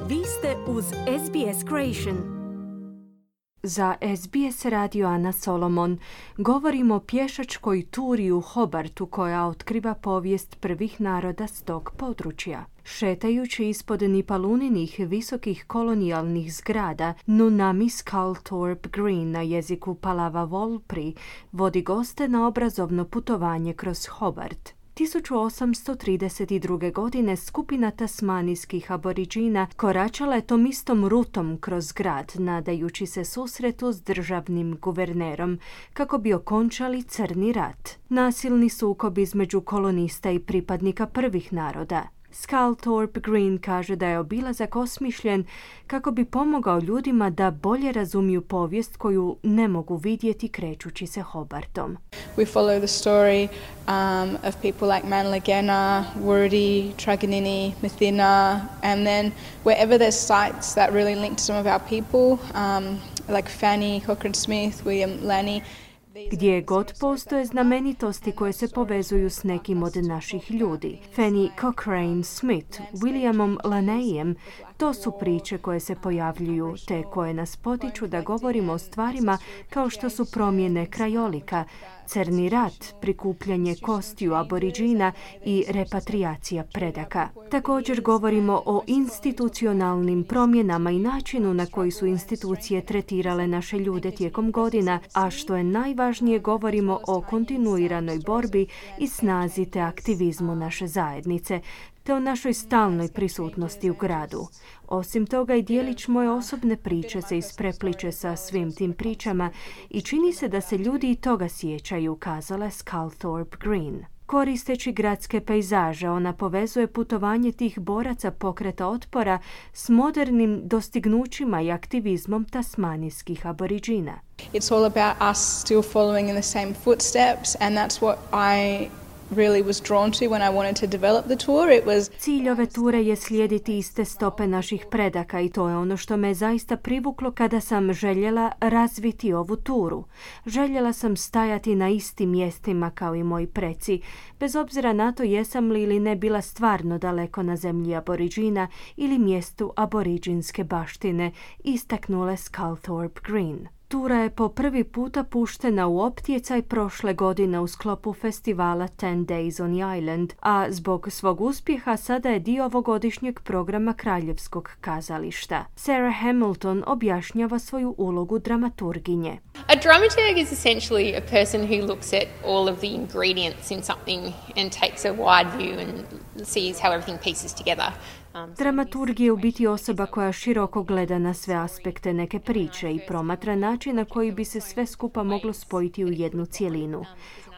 Vi ste uz SBS Creation. Za SBS radio Ana Solomon govorimo o pješačkoj turi u Hobartu koja otkriva povijest prvih naroda s tog područja. Šetajući ispod nipaluninih visokih kolonijalnih zgrada, Nunami Sculthorpe Green na jeziku Palava Volpri vodi goste na obrazovno putovanje kroz Hobart. 1832. godine skupina tasmanijskih aboriđina koračala je tom istom rutom kroz grad, nadajući se susretu s državnim guvernerom, kako bi okončali crni rat. Nasilni sukob između kolonista i pripadnika prvih naroda. Sculthorpe Green kaže da je obilazak osmišljen kako bi pomogao ljudima da bolje razumiju povijest koju ne mogu vidjeti krećući se Hobartom. We follow the story of people like Manlagana, Wurdi, Truganini, Mathina, and then wherever there's sites that really link to some of our people, like Fanny, Cochrane Smith, William Lanny. Gdje god postoje znamenitosti koje se povezuju s nekim od naših ljudi. Fanny Cochrane Smith, Williamom Laneyem, to su priče koje se pojavljuju, te koje nas potiču da govorimo o stvarima kao što su promjene krajolika, crni rat, prikupljanje kostiju aboriđina i repatriacija predaka. Također govorimo o institucionalnim promjenama i načinu na koji su institucije tretirale naše ljude tijekom godina, a što je najvažnije, govorimo o kontinuiranoj borbi i snazi te aktivizmu naše zajednice, te o našoj stalnoj prisutnosti u gradu. Osim toga, i dijelić moje osobne priče se isprepliče sa svim tim pričama i čini se da se ljudi i toga sjećaju, kazala Sculthorpe Green. Koristeći gradske pejzaže, ona povezuje putovanje tih boraca pokreta otpora s modernim dostignućima i aktivizmom tasmanijskih aboriđina. It's all about us still following in the same footsteps, and that's what I really was drawn to when I wanted to develop the tour. Cilj ove ture je slijediti iste stope naših predaka i to je ono što me zaista privuklo kada sam željela razviti ovu turu. Željela sam stajati na istim mjestima kao i moji preci, bez obzira na to jesam li ili ne bila stvarno daleko na zemlji aboriđina ili mjestu aboriđinske baštine, istaknula Sculthorpe Green. Tura je po prvi puta puštena u optjecaj prošle godine u sklopu festivala 10 Days on the Island, a zbog svog uspjeha sada je dio ovogodišnjeg programa Kraljevskog kazališta. Sarah Hamilton objašnjava svoju ulogu dramaturginje. A dramaturg is essentially a person who looks at all of the ingredients in something and takes a wide view and sees how everything pieces together. Dramaturg je u biti osoba koja široko gleda na sve aspekte neke priče i promatra način na koji bi se sve skupa moglo spojiti u jednu cjelinu.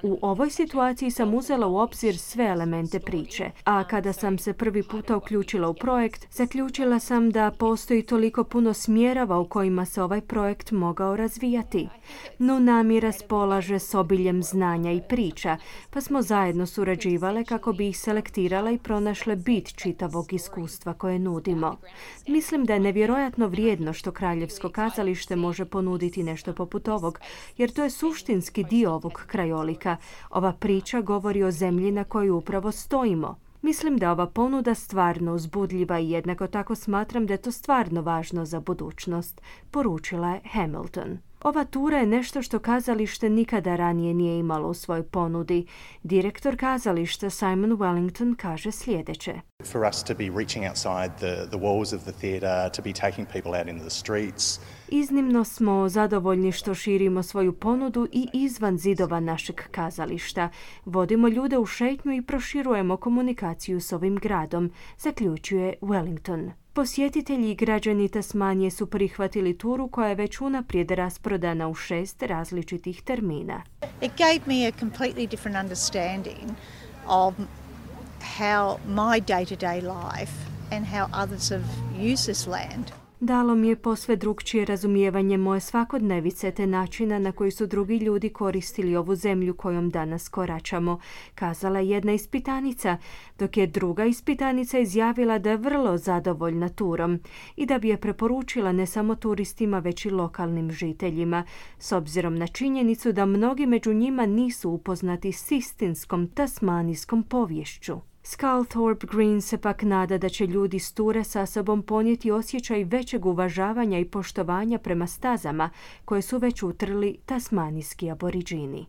U ovoj situaciji sam uzela u obzir sve elemente priče, a kada sam se prvi puta uključila u projekt, zaključila sam da postoji toliko puno smjerova u kojima se ovaj projekt mogao razvijati. Nunami raspolaže s obiljem znanja i priča, pa smo zajedno surađivale kako bi ih selektirala i pronašle bit čitavog iskustva koje nudimo. Mislim da je nevjerojatno vrijedno što Kraljevsko kazalište može ponuditi nešto poput ovog, jer to je suštinski dio ovog krajolika. Ova priča govori o zemlji na kojoj upravo stojimo. Mislim da ova ponuda stvarno uzbudljiva i jednako tako smatram da je to stvarno važno za budućnost, poručila je Hamilton. Ova tura je nešto što kazalište nikada ranije nije imalo u svojoj ponudi. Direktor kazališta Simon Wellington kaže sljedeće. For us to be reaching outside the walls of the theatre, to be taking people out into the streets. Iznimno smo zadovoljni što širimo svoju ponudu i izvan zidova našeg kazališta. Vodimo ljude u šetnju i proširujemo komunikaciju s ovim gradom, zaključuje Wellington. Posjetitelji i građani Tasmanije su prihvatili turu koja je već unaprijed rasprodana u 6 različitih termina. It gave me a completely different understanding of how my day-to-day life and how others have used this land. Dalo mi je posve drukčije razumijevanje moje svakodnevice te načina na koji su drugi ljudi koristili ovu zemlju kojom danas koračamo, kazala jedna ispitanica, dok je druga ispitanica izjavila da je vrlo zadovoljna turom i da bi je preporučila ne samo turistima već i lokalnim žiteljima, s obzirom na činjenicu da mnogi među njima nisu upoznati s istinskom tasmanijskom poviješću. Sculthorpe Green se pak nada da će ljudi s ture sa sobom ponijeti osjećaj većeg uvažavanja i poštovanja prema stazama koje su već utrli tasmanijski aboriđini.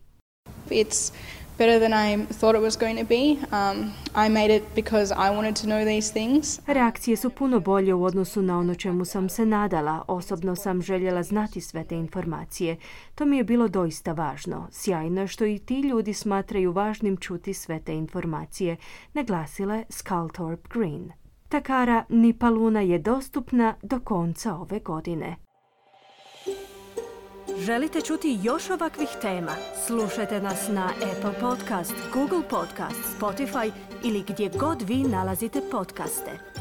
It's better than I thought it was going to be. I made it because I wanted to know these things. Reakcije su puno bolje u odnosu na ono čemu sam se nadala. Osobno sam željela znati sve te informacije. To mi je bilo doista važno. Sjajno je što i ti ljudi smatraju važnim čuti sve te informacije, naglasila je Sculthorpe Green. Takara Nipaluna je dostupna do konca ove godine. Želite čuti još ovakvih tema? Slušajte nas na Apple Podcast, Google Podcast, Spotify ili gdje god vi nalazite podcaste.